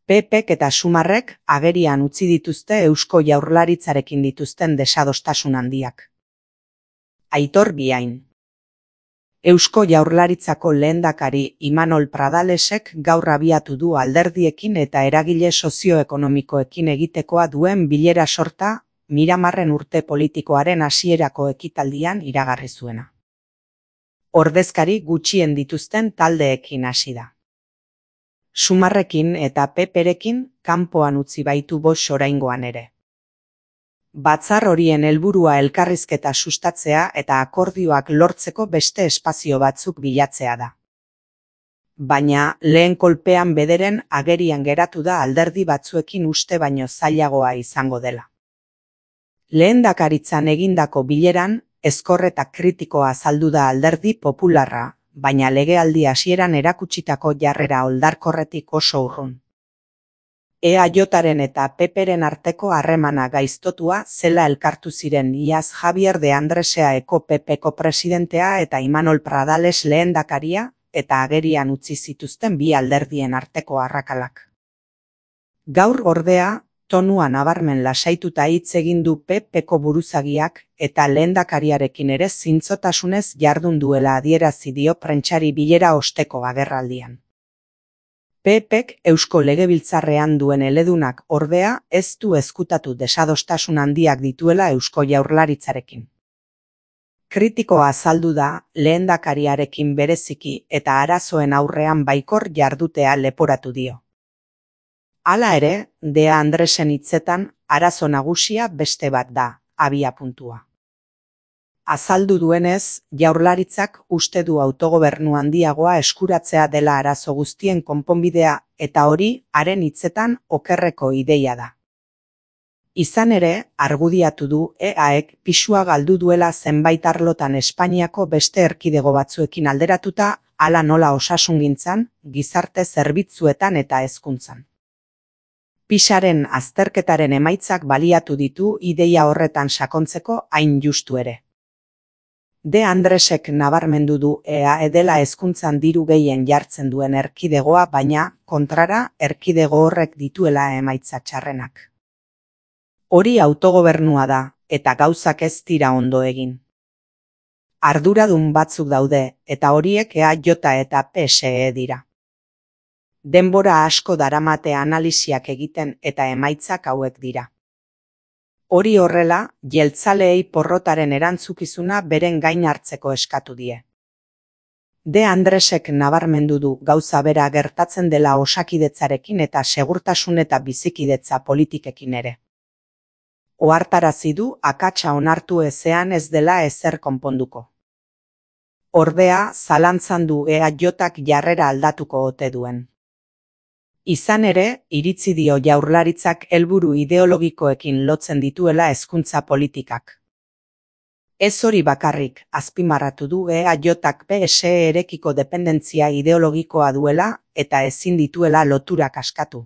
PPk eta Sumarrek agerian utzi dituzte Eusko Jaurlaritzarekin dituzten desadostasun handiak. Aitor Biain. Eusko Jaurlaritzako lehendakari Imanol Pradalesek gaur abiatu du alderdiekin eta eragile sozioekonomikoekin egitekoa duen bilera sorta Miramarren urte politikoaren hasierako ekitaldian iragarri zuena. Ordezkari gutxien dituzten taldeekin hasi da. Sumarrekin eta PPrekin kanpoan utzi baitu bost oraingoan ere. Batzar horien helburua elkarrizketa sustatzea eta akordioak lortzeko beste espazio batzuk bilatzea da. Baina lehen kolpean bederen agerian geratu da alderdi batzuekin uste baino zailagoa izango dela. Lehendakaritzan egindako bileran ezkor eta kritikoa azaldu da alderdi popularra, baina legealdi hasieran erakutsitako jarrera oldarkorretik oso urrun. EAJaren eta PPren arteko harremana gaiztotua zela elkartu ziren iaz Javier de Andreseaeko PPko presidentea eta Imanol Pradales lehendakaria eta agerian utzi zituzten bi alderdien arteko arrakalak. Gaur ordea, tonua nabarmen lasaituta hitz egin du PPko buruzagiak eta lehendakariarekin ere zintzotasunez jardun duela adierazi dio prentsari bilera osteko agerraldian. PPk Eusko Legebiltzarrean duen eledunak ordea ez du ezkutatu desadostasun handiak dituela Eusko Jaurlaritzarekin. Kritikoa azaldu da lehendakariarekin bereziki eta arazoen aurrean baikor jardutea leporatu dio. Hala ere, De Andresen hitzetan arazo nagusia beste bat da, abiapuntua. Azaldu duenez, Jaurlaritzak uste du autogobernu handiagoa eskuratzea dela arazo guztien konponbidea eta hori haren hitzetan okerreko ideia da. Izan ere, argudiatu du EAek pisua galdu duela zenbait arlotan Espainiako beste erkidego batzuekin alderatuta, hala nola osasungintzan, gizarte zerbitzuetan eta hezkuntzan. Pisaren azterketaren emaitzak baliatu ditu ideia horretan sakontzeko hain justu ere. De Andresek nabarmendu du EA dela hezkuntzan diru gehien jartzen duen erkidegoa, baina, kontrara, erkidego horrek dituela emaitza txarrenak. Hori autogobernua da, eta gauzak ez dira ondo egin. Arduradun batzuk daude, eta horiek EAJ eta PSE dira. Denbora asko daramate analisiak egiten eta emaitzak hauek dira. Hori horrela, jeltzaleei porrotaren erantzukizuna beren gain hartzeko eskatu die. De Andresek nabarmendu du gauza bera gertatzen dela osakidetzarekin eta segurtasun eta bizikidetza politikekin ere. Ohartarazi du akatsa onartu ezean ez dela ezer konponduko. Ordea, zalantzan du EAJak jarrera aldatuko ote duen. Izan ere, iritzi dio Jaurlaritzak helburu ideologikoekin lotzen dituela hezkuntza politikak. Ez hori bakarrik, azpimarratu du EAJak PSE erekiko dependentzia ideologikoa duela eta ezin dituela loturak askatu.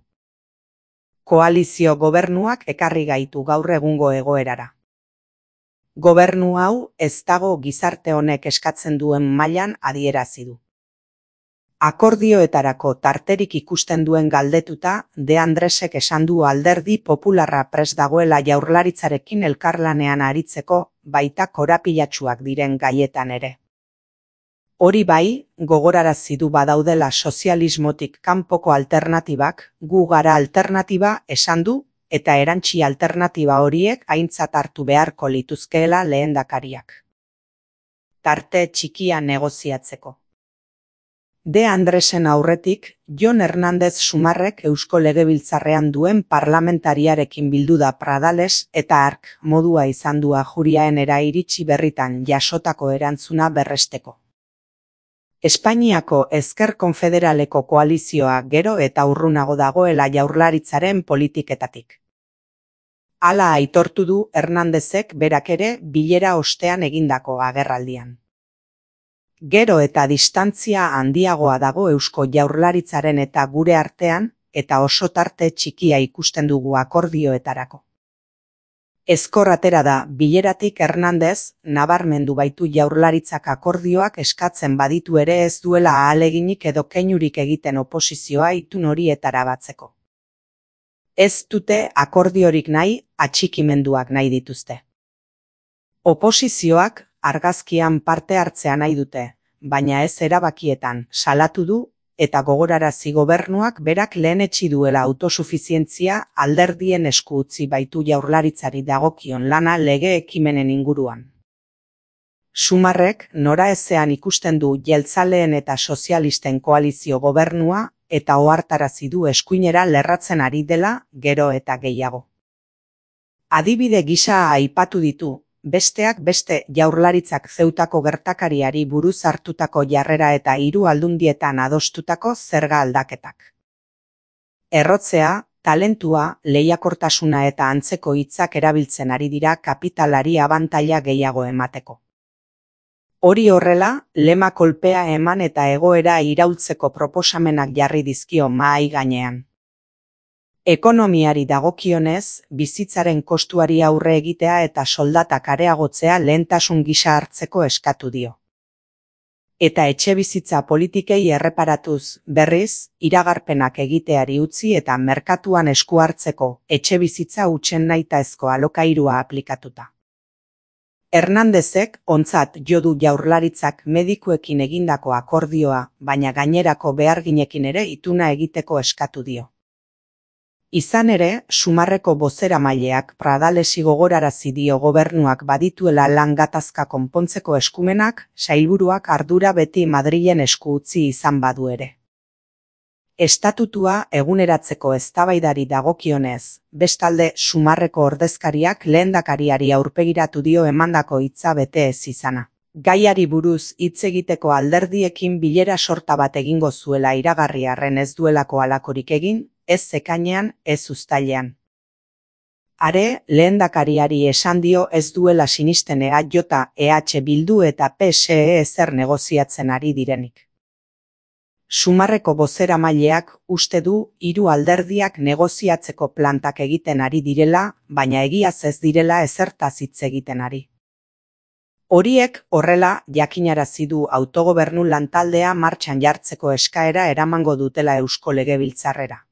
Koalizio gobernuak ekarri gaitu gaur egungo egoerara. Gobernu hau ez dago gizarte honek eskatzen duen mailan adierazi du. Akordioetarako tarterik ikusten duen galdetuta, De Andresek esan du alderdi popularra prest dagoela Jaurlaritzarekin elkarlanean aritzeko, baita korapilatsuak diren gaietan ere. Hori bai, gogorarazi du badaudela sozialismotik kanpoko alternatibak, gu gara alternatiba esan du, eta erantsi alternatiba horiek aintzat hartu beharko lituzkeela lehendakariak. Tarte txikia negoziatzeko. De Andresen aurretik, Jon Hernández Sumarrek Eusko Legebiltzarrean duen parlamentariarekin bildu da Pradales eta hark modua izan du Ajuriaenera iritsi berritan jasotako erantzuna berresteko. Espainiako Ezker Konfederaleko koalizioa gero eta urrunago dagoela Jaurlaritzaren politiketatik. Hala aitortu du Hernándezek berak ere bilera ostean egindako agerraldian. Gero eta distantzia handiagoa dago Eusko Jaurlaritzaren eta gure artean, eta oso tarte txikia ikusten dugu akordioetarako. Ezkor atera da bileratik Hernández nabarmendu baitu Jaurlaritzak akordioak eskatzen baditu ere ez duela ahaleginik edo keinurik egiten oposizioa itun horietara batzeko. Ez dute akordiorik nahi, atxikimenduak nahi dituzte. Oposizioak argazkian parte hartzea nahi dute, baina ez erabakietan, salatu du, eta gogorarazi gobernuak berak lehenetsi duela autosufizientzia alderdien esku utzi baitu Jaurlaritzari dagokion lana lege ekimenen inguruan. Sumarrek noraezean ikusten du jeltzaleen eta sozialisten koalizio gobernua eta ohartarazi du eskuinera lerratzen ari dela gero eta gehiago. Adibide gisa aipatu ditu, besteak beste Jaurlaritzak Zeutako gertakariari buruz hartutako jarrera eta 3 aldundietan adostutako zerga aldaketak. Errotzea, talentua, lehiakortasuna eta antzeko hitzak erabiltzen ari dira kapitalari abantaila gehiago emateko. Hori horrela, lema kolpea eman eta egoera iraultzeko proposamenak jarri dizkio mahai gainean. Ekonomiari dagokionez, bizitzaren kostuari aurre egitea eta soldatak areagotzea lehentasun gisa hartzeko eskatu dio. Eta etxebizitza politikei erreparatuz, berriz, iragarpenak egiteari utzi eta merkatuan esku hartzeko etxebizitza hutsen nahitaezko alokairua aplikatuta. Hernandezek ontzat jo du Jaurlaritzak medikuekin egindako akordioa, baina gainerako beharginekin ere ituna egiteko eskatu dio. Izan ere, Sumarreko bozeramaileak Pradalesi gogorarazi dio gobernuak badituela lan gatazka konpontzeko eskumenak, sailburuak ardura beti Madrilen esku utzi izan badu ere. Estatutua eguneratzeko eztabaidari dagokionez, bestalde Sumarreko ordezkariak lehendakariari aurpegiratu dio emandako hitza bete ez izana. Gaiari buruz hitz egiteko alderdiekin bilera sorta bat egingo zuela iragarri arren ez duelako halakorik egin, ez ekainean, ez uztailean. Are, lehendakariari esan dio ez duela sinisten EH Bildu eta PSE ezer negoziatzen ari direnik. Sumarreko bozeramaileak uste du 3 alderdiak negoziatzeko plantak egiten ari direla, baina egiaz ez direla ezertaz hitz egiten ari. Horiek horrela jakinarazi du autogobernu lantaldea martxan jartzeko eskaera eramango dutela Eusko Legebiltzarrera.